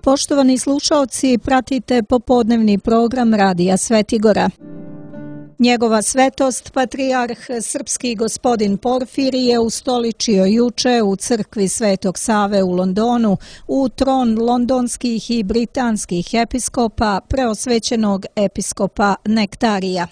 Poštovani slušaoci, pratite popodnevni program Radija Svetigora. Njegova svetost, patrijarh srpski gospodin Porfirije, ustoličio juče u crkvi Svetog Save u Londonu u tron londonskih i britanskih episkopa preosvećenog episkopa Nektarija.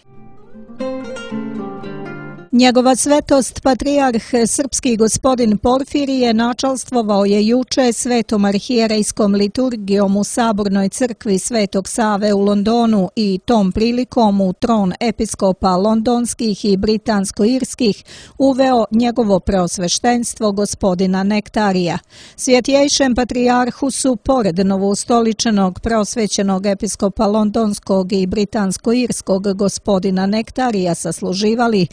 Njegova svetost, patrijarh srpski gospodin Porfirije, načalstvovao je juče svetom arhijerejskom liturgijom u Sabornoj crkvi Svetog Save u Londonu i tom prilikom u tron episkopa londonskih i britansko-irskih uveo njegovo preosveštenstvo gospodina Nektarija. Svjetjejšem patrijarhu su, pored novoustoličenog preosvećenog episkopa londonskog i britansko-irskog gospodina Nektarija, sasluživali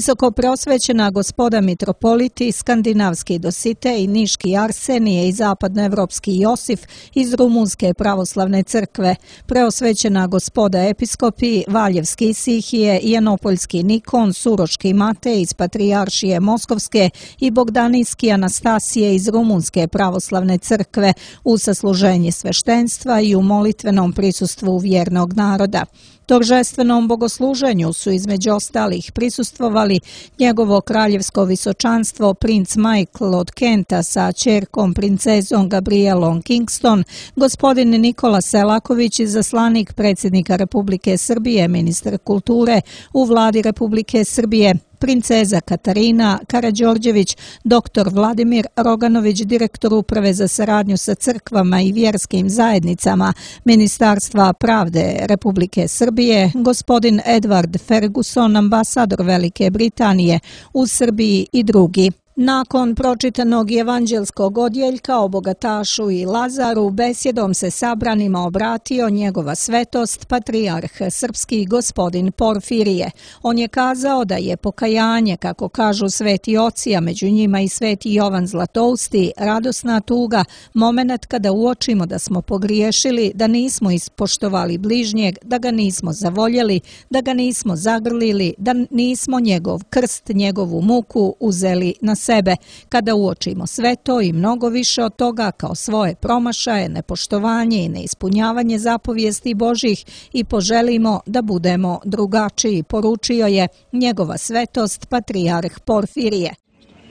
visoko preosvećena gospoda mitropoliti, skandinavski Dositej, niški Arsenije i zapadnoevropski Josif iz Rumunske pravoslavne crkve, preosvećena gospoda episkopi, Valjevski Isihije, Janopoljski Nikon, Suroški Matej iz Patrijaršije Moskovske i Bogdanijski Anastasije iz Rumunske pravoslavne crkve u sasluženje sveštenstva i u molitvenom prisustvu vjernog naroda. Торжественom bogosluženju su između ostalih prisustvovali njegovo kraljevsko visočanstvo princ Michael od Kenta sa ćerkom princezom Gabrielom Kingston, gospodin Nikola Selaković, izaslanik predsjednika Republike Srbije, ministar kulture u vladi Republike Srbije, princeza Katarina Karađorđević, dr. Vladimir Roganović, direktor Uprave za saradnju sa crkvama i vjerskim zajednicama Ministarstva pravde Republike Srbije, gospodin Edward Ferguson, ambasador Velike Britanije u Srbiji i drugi. Nakon pročitanog evanđelskog odjeljka o bogatašu i Lazaru, besjedom se sabranima obratio njegova svetost, patrijarh srpski gospodin Porfirije. On je kazao da je pokajanje, kako kažu sveti oci, a među njima i sveti Jovan Zlatousti, radosna tuga, moment kada uočimo da smo pogriješili, da nismo ispoštovali bližnjeg, da ga nismo zavoljeli, da ga nismo zagrlili, da nismo njegov krst, njegovu muku uzeli na sebe. Kada uočimo sve to i mnogo više od toga kao svoje promašaje, nepoštovanje i neispunjavanje zapovijesti Božjih i poželimo da budemo drugačiji, poručio je njegova svetost patrijarh Porfirije.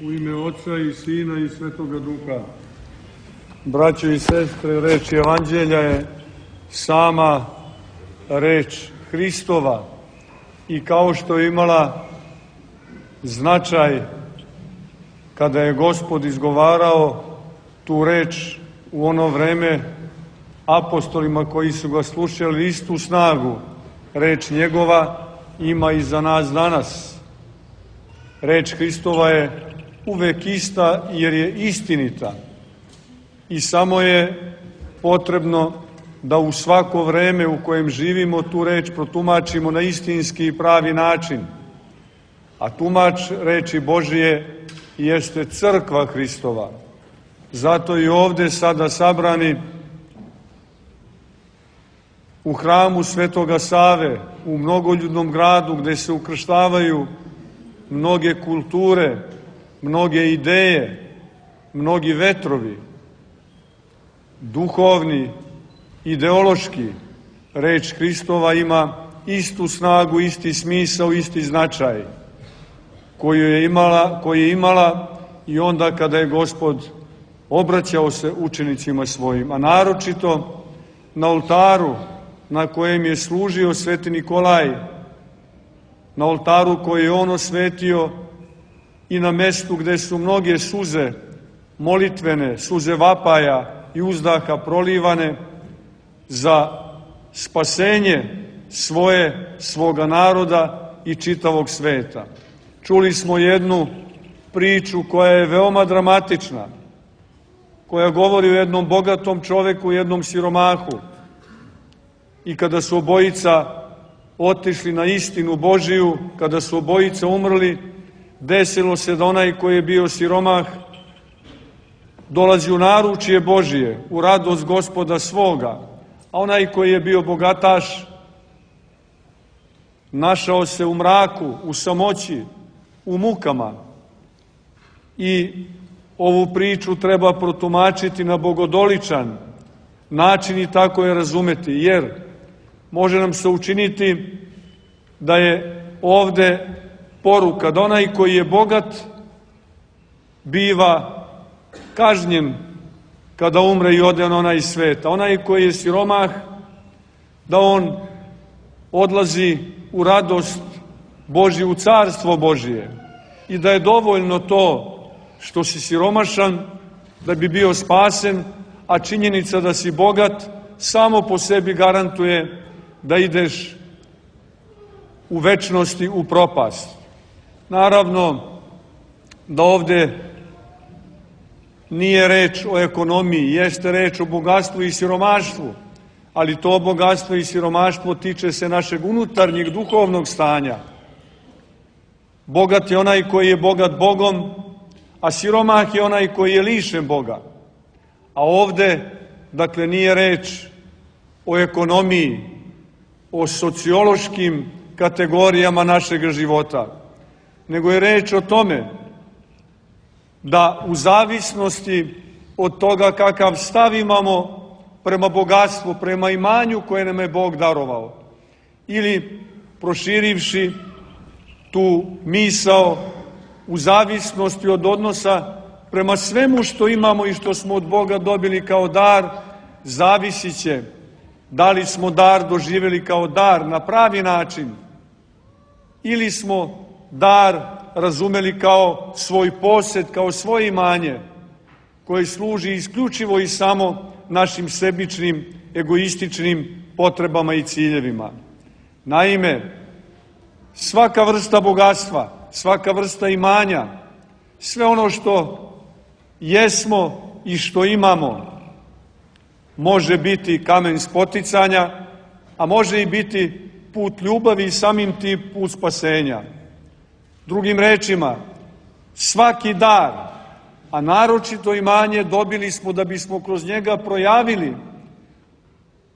U ime Oca i Sina i Svetoga Duha. Braćo i sestre, reč Evanđelja je sama reč Hristova i kao što je imala značaj kada je Gospod izgovarao tu reč u ono vreme apostolima koji su ga slušali, istu snagu reč njegova ima i za nas danas. Reč Hristova je uvek ista jer je istinita i samo je potrebno da u svako vreme u kojem živimo tu reč protumačimo na istinski i pravi način. A tumač reči Božije jeste crkva Hristova. Zato i ovde sada sabrani u hramu Svetoga Save, u mnogoljudnom gradu gde se ukrštavaju mnoge kulture, mnoge ideje, mnogi vetrovi, duhovni, ideološki, reč Hristova ima istu snagu, isti smisao, isti značaj koji je imala i onda kada je Gospod obraćao se učenicima svojim, a naročito na oltaru na kojem je služio sveti Nikolaj, na oltaru koji je on osvetio i na mestu gde su mnoge suze molitvene, suze vapaja i uzdaha prolivane za spasenje svoga naroda i čitavog sveta. Čuli smo jednu priču koja je veoma dramatična, koja govori o jednom bogatom čoveku i jednom siromahu. I kada su obojica otišli na istinu Božiju, kada su obojica umrli, desilo se da onaj koji je bio siromah dolazi u naručje Božije, u radost Gospoda svoga, a onaj koji je bio bogataš našao se u mraku, u samoći, u mukama. I ovu priču treba protumačiti na bogodoličan način i tako je razumeti, jer može nam se učiniti da je ovde poruka da onaj koji je bogat biva kažnjen kada umre i ode na onaj svet, a onaj koji je siromah da on odlazi u radost Božju, u carstvo Božije, i da je dovoljno to što si siromašan da bi bio spasen, a činjenica da si bogat samo po sebi garantuje da ideš u večnosti u propast. Naravno da ovde nije reč o ekonomiji, jeste reč o bogatstvu i siromaštvu, ali to bogatstvo i siromaštvo tiče se našeg unutarnjeg duhovnog stanja. Bogat je onaj koji je bogat Bogom, a siromah je onaj koji je lišen Boga. A ovde, dakle, nije reč o ekonomiji, o sociološkim kategorijama našeg života, nego je reč o tome da u zavisnosti od toga kakav stav imamo prema bogatstvu, prema imanju koje nam je Bog darovao, ili proširivši tu misao u zavisnosti od odnosa prema svemu što imamo i što smo od Boga dobili kao dar, zavisit će da li smo dar doživjeli kao dar na pravi način ili smo dar razumeli kao svoj posed, kao svoje imanje koje služi isključivo i samo našim sebičnim, egoističnim potrebama i ciljevima. Naime, svaka vrsta bogatstva, svaka vrsta imanja, sve ono što jesmo i što imamo, može biti kamen spoticanja, a može i biti put ljubavi i samim tim put spasenja. Drugim rečima, svaki dar, a naročito imanje, dobili smo da bismo kroz njega projavili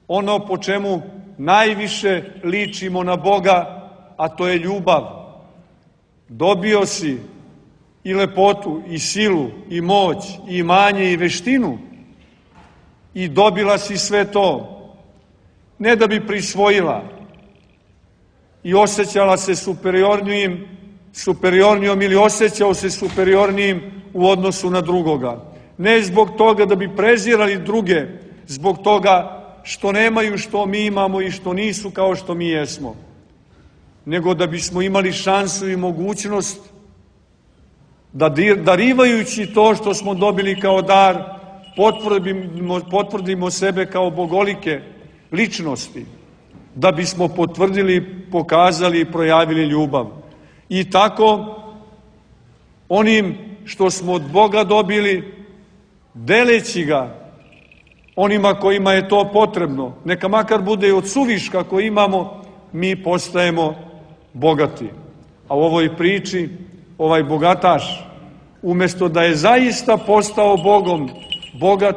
ono po čemu najviše ličimo na Boga, a to je ljubav. Dobio si i lepotu, i silu, i moć, i imanje, i veštinu, i dobila si sve to, ne da bi prisvojila i osjećala se superiornijom ili osjećao se superiornijim u odnosu na drugoga. Ne zbog toga da bi prezirali druge, zbog toga što nemaju što mi imamo i što nisu kao što mi jesmo, nego da bismo imali šansu i mogućnost da darivajući to što smo dobili kao dar, potvrdimo sebe kao bogolike ličnosti, da bismo potvrdili, pokazali i projavili ljubav. I tako, onim što smo od Boga dobili, deleći ga onima kojima je to potrebno, neka makar bude i od suviška koji imamo, mi postajemo bogati. A u ovoj priči, ovaj bogataš, umjesto da je zaista postao Bogom bogat,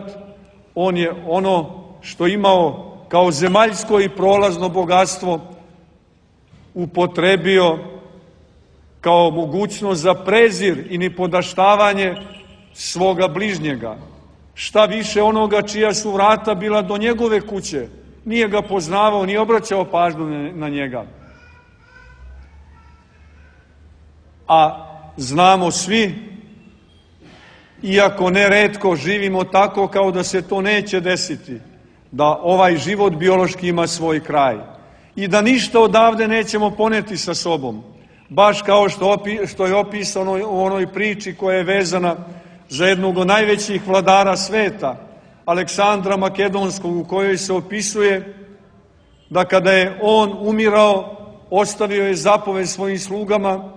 on je ono što imao kao zemaljsko i prolazno bogatstvo upotrebio kao mogućnost za prezir i nipodaštavanje svoga bližnjega. Šta više, onoga čija su vrata bila do njegove kuće, nije ga poznavao, nije obraćao pažnju na njega. A znamo svi, iako neretko živimo tako kao da se to neće desiti, da ovaj život biološki ima svoj kraj i da ništa odavde nećemo poneti sa sobom, baš kao što je opisano u onoj priči koja je vezana za jednog od najvećih vladara sveta, Aleksandra Makedonskog, u kojoj se opisuje da kada je on umirao, ostavio je zapoved svojim slugama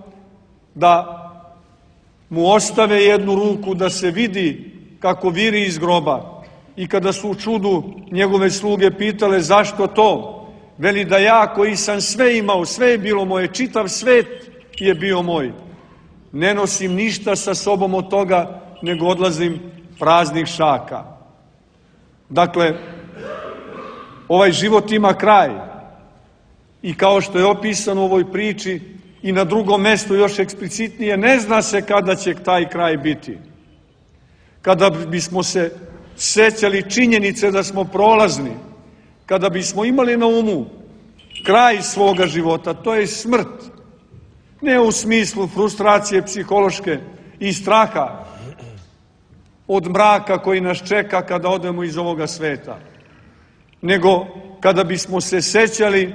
da mu ostave jednu ruku da se vidi kako viri iz groba. I kada su u čudu njegove sluge pitale zašto to, veli da ja koji sam sve imao, sve je bilo moje, čitav svet je bio moj, ne nosim ništa sa sobom od toga, nego odlazim praznih šaka. Dakle, ovaj život ima kraj i kao što je opisano u ovoj priči i na drugom mestu još eksplicitnije, ne zna se kada će taj kraj biti. Kada bismo se sećali činjenice da smo prolazni, kada bismo imali na umu kraj svoga života, to je smrt, ne u smislu frustracije psihološke i straha od mraka koji nas čeka kada odemo iz ovoga sveta, nego kada bismo se sećali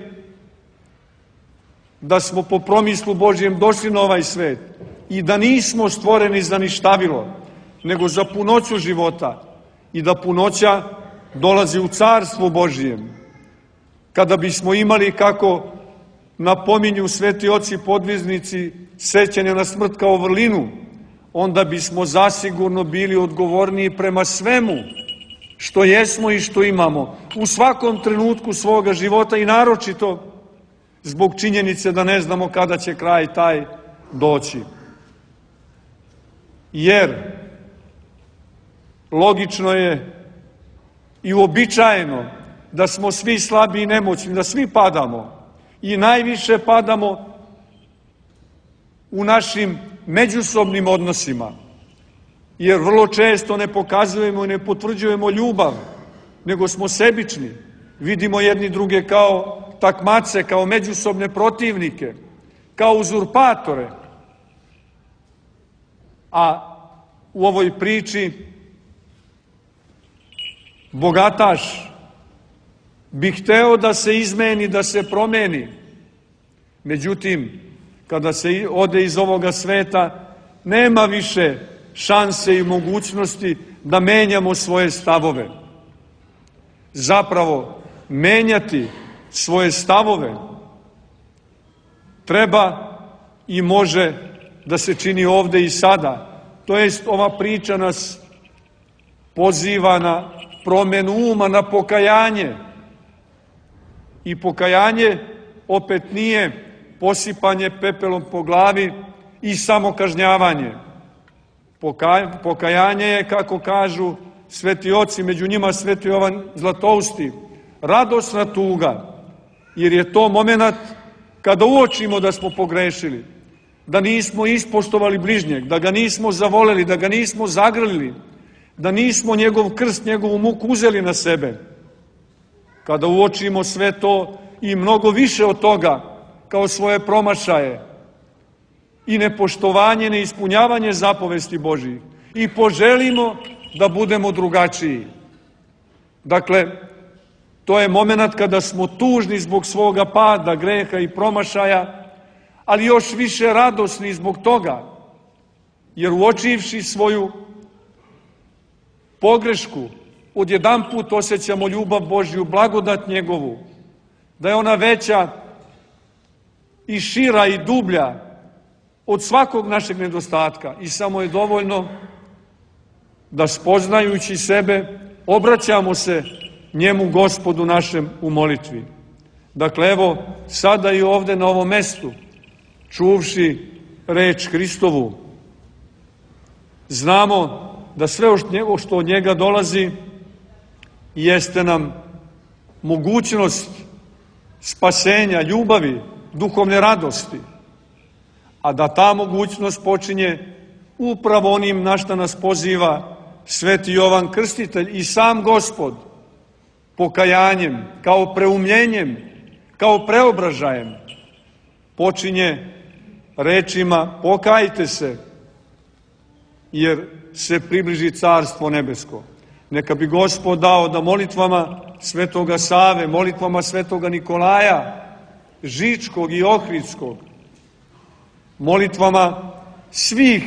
da smo po promislu Božjem došli na ovaj svet i da nismo stvoreni za ništavilo, nego za punoću života i da punoća dolazi u Carstvo Božjem. Kada bismo imali, kako napominju sveti oci podviznici, sećanje na smrt kao vrlinu, onda bismo zasigurno bili odgovorniji prema svemu što jesmo i što imamo u svakom trenutku svoga života i naročito zbog činjenice da ne znamo kada će kraj taj doći. Jer logično je i uobičajeno da smo svi slabi i nemoćni, da svi padamo i najviše padamo u našim međusobnim odnosima, jer vrlo često ne pokazujemo i ne potvrđujemo ljubav, nego smo sebični, vidimo jedni druge kao takmace, kao međusobne protivnike, kao uzurpatore. A u ovoj priči bogataš bi hteo da se izmeni, da se promeni. Međutim, kada se ode iz ovoga sveta, nema više šanse i mogućnosti da menjamo svoje stavove. Zapravo, menjati svoje stavove treba i može da se čini ovde i sada. To jest, ova priča nas poziva na promenu uma, na pokajanje. I pokajanje opet nije posipanje pepelom po glavi i samokažnjavanje. Pokajanje je, kako kažu sveti oci, među njima sveti Jovan Zlatousti, radosna tuga, jer je to moment kada uočimo da smo pogrešili, da nismo ispoštovali bližnjeg, da ga nismo zavoleli, da ga nismo zagrlili, da nismo njegov krst, njegovu muku uzeli na sebe. Kada uočimo sve to i mnogo više od toga kao svoje promašaje i nepoštovanje, neispunjavanje zapovesti Božijih i poželimo da budemo drugačiji. Dakle, to je moment kada smo tužni zbog svoga pada, greha i promašaja, ali još više radosni zbog toga, jer uočivši svoju pogrešku, odjedanput osjećamo ljubav Božju, blagodat njegovu, da je ona veća i šira i dublja od svakog našeg nedostatka i samo je dovoljno da spoznajući sebe obraćamo se njemu, Gospodu našem, u molitvi. Dakle, evo, sada i ovde na ovom mestu, čuvši reč Hristovu, znamo da sve što od njega dolazi jeste nam mogućnost spasenja, ljubavi, duhovne radosti, a da ta mogućnost počinje upravo onim na šta nas poziva sveti Jovan Krstitelj i sam Gospod, pokajanjem, kao preumljenjem, kao preobražajem, počinje rečima pokajte se, jer se približi Carstvo nebesko. Neka bi Gospod dao da molitvama svetoga Save, molitvama svetoga Nikolaja, Žičkog i Ohridskog, molitvama svih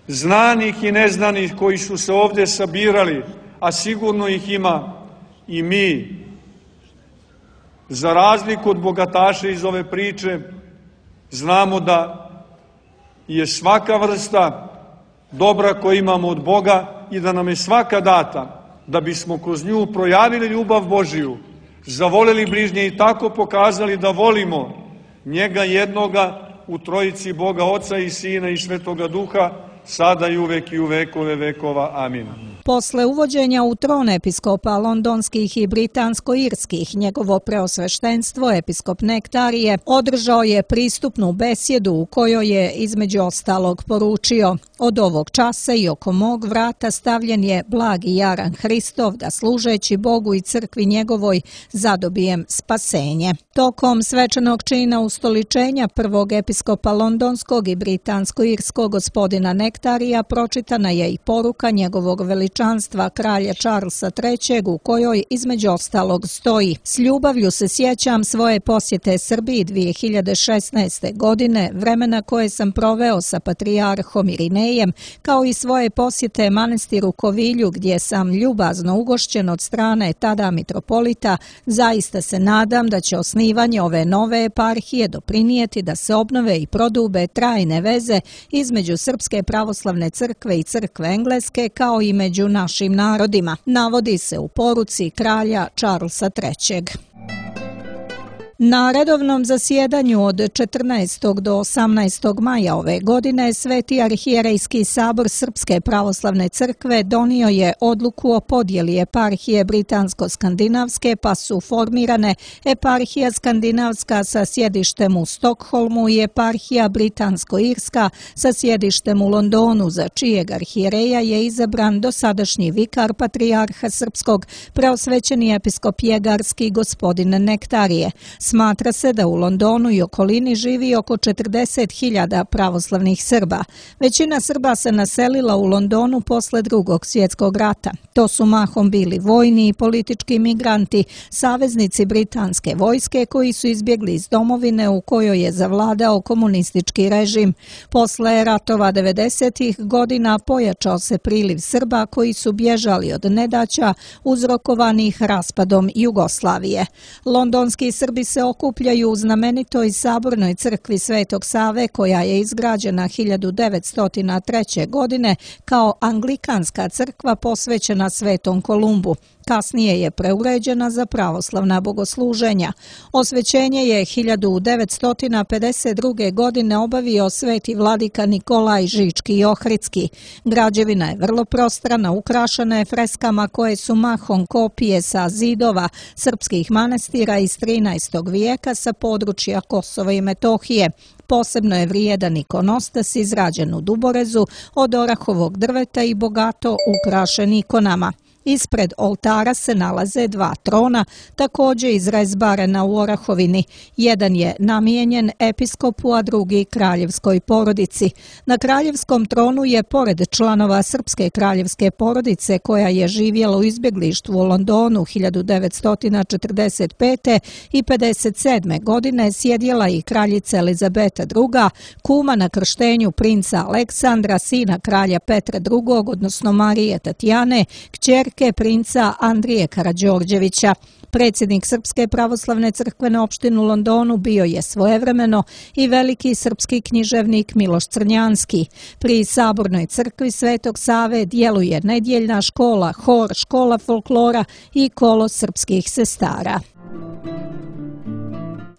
znanih i neznanih koji su se ovde sabirali, a sigurno ih ima i mi, za razliku od bogataša iz ove priče, znamo da je svaka vrsta dobra koju imamo od Boga i da nam je svaka data, da bismo kroz nju projavili ljubav Božiju, zavoleli bližnje i tako pokazali da volimo njega jednoga u trojici Boga Oca i Sina i Svetoga Duha, sada i uvek i u vekove vekova. Amin. Posle uvođenja u tron episkopa londonskih i britansko-irskih, njegovo preosveštenstvo, episkop Nektarije, održao je pristupnu besjedu u kojoj je između ostalog poručio: od ovog časa i oko mog vrata stavljen je blagi jaran Hristov, da služeći Bogu i crkvi njegovoj zadobijem spasenje. Tokom svečanog čina ustoličenja prvog episkopa londonskog i britansko-irskog gospodina Nektarija pročitana je i poruka njegovog veličanstva kralja Charlesa III u kojoj između ostalog stoji: s ljubavlju se sjećam svoje posjete Srbiji 2016. godine, vremena koje sam proveo sa patrijarhom Irinejem, kao i svoje posjete manastiru Kovilju gdje sam ljubazno ugošćen od strane tada mitropolita. Zaista se nadam da će osnivanje ove nove eparhije doprinijeti da se obnove i prodube trajne veze između Srpske pravoslavne crkve i crkve engleske, kao i među našim narodima, navodi se u poruci kralja Charlesa III. Na redovnom zasjedanju od 14. do 18. maja ove godine Sveti arhijerejski sabor Srpske pravoslavne crkve donio je odluku o podjeli eparhije britansko-skandinavske, pa su formirane eparhija skandinavska sa sjedištem u Stokholmu i eparhija britansko-irska sa sjedištem u Londonu, za čijeg arhijereja je izabran dosadašnji vikar patrijarha srpskog, preosvećeni episkop Jegarski gospodin Nektarije. Smatra se da u Londonu i okolini živi oko 40.000 pravoslavnih Srba. Većina Srba se naselila u Londonu posle Drugog svjetskog rata. To su mahom bili vojni i politički migranti, saveznici britanske vojske koji su izbjegli iz domovine u kojoj je zavladao komunistički režim. Posle ratova 90. godina pojačao se priliv Srba koji su bježali od nedaća uzrokovanih raspadom Jugoslavije. Londonski Srbi se okupljaju u znamenitoj sabornoj crkvi Svetog Save, koja je izgrađena 1903. godine kao anglikanska crkva posvećena Svetom Kolumbu. Kasnije je preuređena za pravoslavna bogosluženja. Osvećenje je 1952. godine obavio sveti vladika Nikolaj Žički i Ohridski. Građevina je vrlo prostrana, ukrašena je freskama koje su mahom kopije sa zidova srpskih manastira iz 13. vijeka sa područja Kosova i Metohije. Posebno je vrijedan ikonostas izrađen u duborezu od orahovog drveta i bogato ukrašen ikonama. Ispred oltara se nalaze dva trona, također izrezbarena u orahovini. Jedan je namijenjen episkopu, a drugi kraljevskoj porodici. Na kraljevskom tronu je, pored članova srpske kraljevske porodice koja je živjela u izbjeglištvu u Londonu 1945. i 57. godine, sjedjela i kraljica Elizabeta II, kuma na krštenju princa Aleksandra, sina kralja Petra II, odnosno Marije Tatjane, kćerke princa Andrije Karađorđevića. Predsjednik Srpske pravoslavne crkvene opštine u Londonu bio je svojevremeno i veliki srpski književnik Miloš Crnjanski. Pri sabornoj crkvi Svetog Save djeluje nedjeljna škola, hor, škola folklora i kolo srpskih sestara.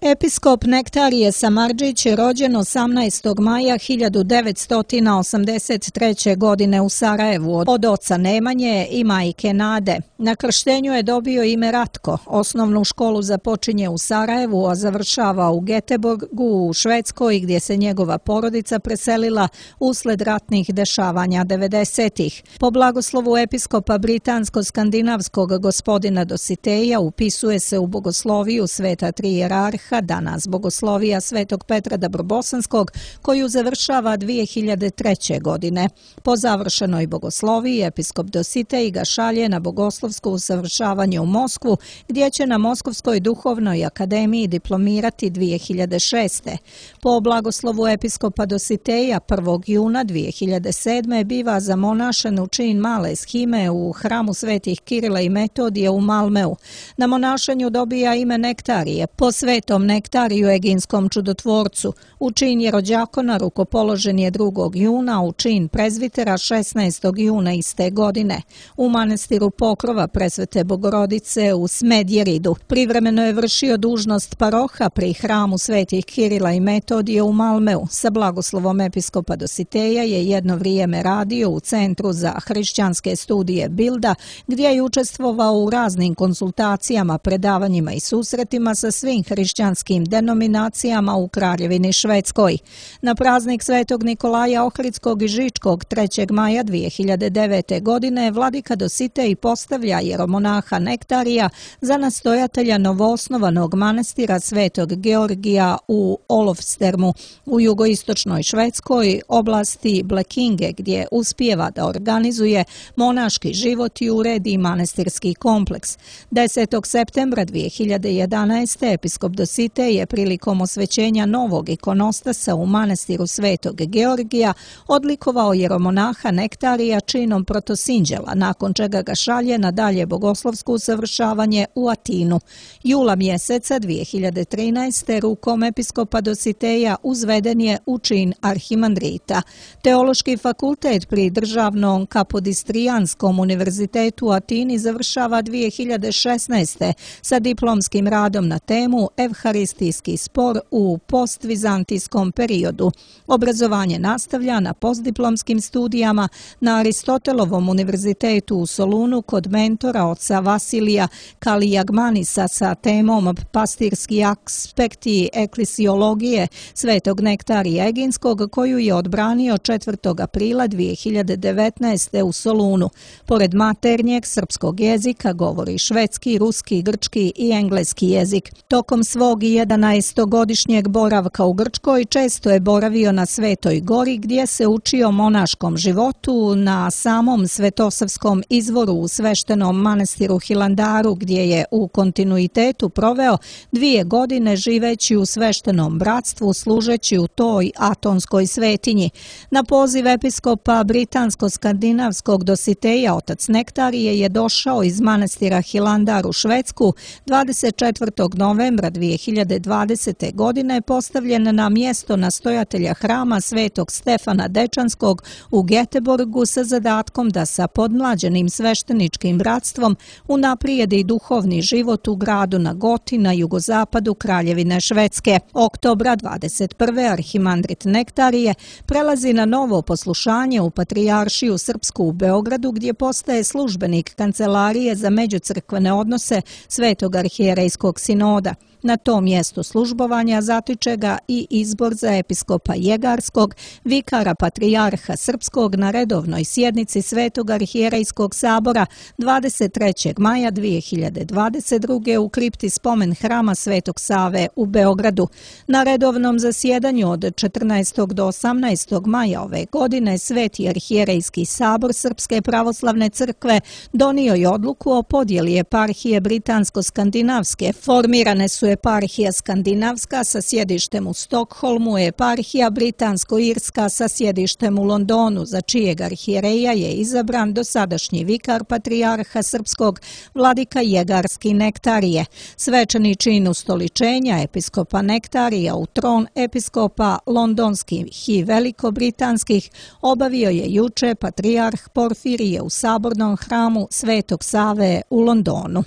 Episkop Nektarije Samardžić je rođen 18. maja 1983. godine u Sarajevu od oca Nemanje i majke Nade. Na krštenju je dobio ime Ratko. Osnovnu školu započinje u Sarajevu, a završava u Göteborgu u Švedskoj, gdje se njegova porodica preselila usled ratnih dešavanja 90-ih. Po blagoslovu episkopa britansko-skandinavskog gospodina Dositeja upisuje se u bogosloviju sveta tri jerarha, danas bogoslovija Svetog Petra Dabrobosanskog, koju završava 2003. godine. Po završenoj bogosloviji episkop Dositej ga šalje na bogoslovsko usavršavanje u Moskvu, gdje će na Moskovskoj duhovnoj akademiji diplomirati 2006. Po blagoslovu episkopa Dositeja 1. juna 2007. biva zamonašen u čin male shime u hramu svetih Kirila i Metodija u Malmeu. Na monašenju dobija ime Nektarije po svetom Svetom Nektariju Eginskom čudotvorcu. U čin jerođakona rukopoložen je 2. juna, u čin prezvitera 16. juna iste godine. U manastiru Pokrova Presvete Bogorodice u Smedjeridu privremeno je vršio dužnost paroha pri hramu svetih Kirila i Metodije u Malmeu. Sa blagoslovom episkopa Dositeja je jedno vrijeme radio u Centru za hrišćanske studije Bilda, gdje je učestvovao u raznim konsultacijama, predavanjima i susretima sa svim hrišćanskim denominacijama u Kraljevini Švedskoj. Na praznik Svetog Nikolaja Ohridskog i Žičkog 3. maja 2009. godine vladika Dositej postavlja jeromonaha Nektarija za nastojatelja novoosnovanog manastira Svetog Georgija u Olofstermu u jugoistočnoj Švedskoj oblasti Blekinge, gdje uspijeva da organizuje monaški život i uredi manastirski kompleks. 10. septembra 2011. episkop Dositej je prilikom osvećenja novog ikonostasa u manastiru Svetog Georgija odlikovao jeromonaha Nektarija činom protosinđela, nakon čega ga šalje na dalje bogoslovsko usavršavanje u Atinu. Jula mjeseca 2013. rukom episkopa Dositeja uzveden je u čin arhimandrita. Teološki fakultet pri Državnom kapodistrijanskom univerzitetu u Atini završava 2016. sa diplomskim radom na temu Evharistijski spor u postvizantijskom periodu. Obrazovanje nastavlja na postdiplomskim studijama na Aristotelovom univerzitetu u Solunu kod mentora oca Vasilija Kalijagmanisa sa temom Pastirski aspekti eklesiologije Svetog Nektarija Eginskog, koju je odbranio 4. aprila 2019. u Solunu. Pored maternjeg srpskog jezika govori švedski, ruski, grčki i engleski jezik. Tokom svog 11-godišnjeg boravka u Grčkoj često je boravio na Svetoj gori, gdje se učio monaškom životu, na samom Svetosavskom izvoru u sveštenom manastiru Hilandaru, gdje je u kontinuitetu proveo 2 godine živeći u sveštenom bratstvu, služeći u toj atonskoj svetinji. Na poziv episkopa britansko-skandinavskog Dositeja otac Nektarije je došao iz manastira Hilandar u Švedsku 24. novembra 2020. godine, postavljen na mjesto nastojatelja hrama Svetog Stefana Dečanskog u Göteborgu sa zadatkom da sa podmlađenim svešteničkim bratstvom unaprijedi duhovni život u gradu na Goti na jugozapadu Kraljevine Švedske. Oktobra 21. arhimandrit Nektarije prelazi na novo poslušanje u Patrijaršiju Srpsku u Beogradu, gdje postaje službenik Kancelarije za međucrkvene odnose Svetog arhijerejskog sinoda. Na tom mjestu službovanja zatiče ga i izbor za episkopa Jegarskog, vikara Patrijarha Srpskog na redovnoj sjednici Svetog arhijerejskog sabora 23. maja 2022. u kripti spomen hrama Svetog Save u Beogradu. Na redovnom zasjedanju od 14. do 18. maja ove godine Sveti arhijerejski sabor Srpske pravoslavne crkve donio je odluku o podjeli eparhije britansko-skandinavske. Formirane su eparhija skandinavska sa sjedištem u Stokholmu, eparhija britansko-irska sa sjedištem u Londonu, za čijeg arhijereja je izabran dosadašnji vikar Patrijarha Srpskog vladika Jegarski Nektarije. Svečani čin ustoličenja episkopa Nektarija u tron episkopa londonskih i velikobritanskih obavio je juče Patrijarh Porfirije u sabornom hramu Svetog Save u Londonu.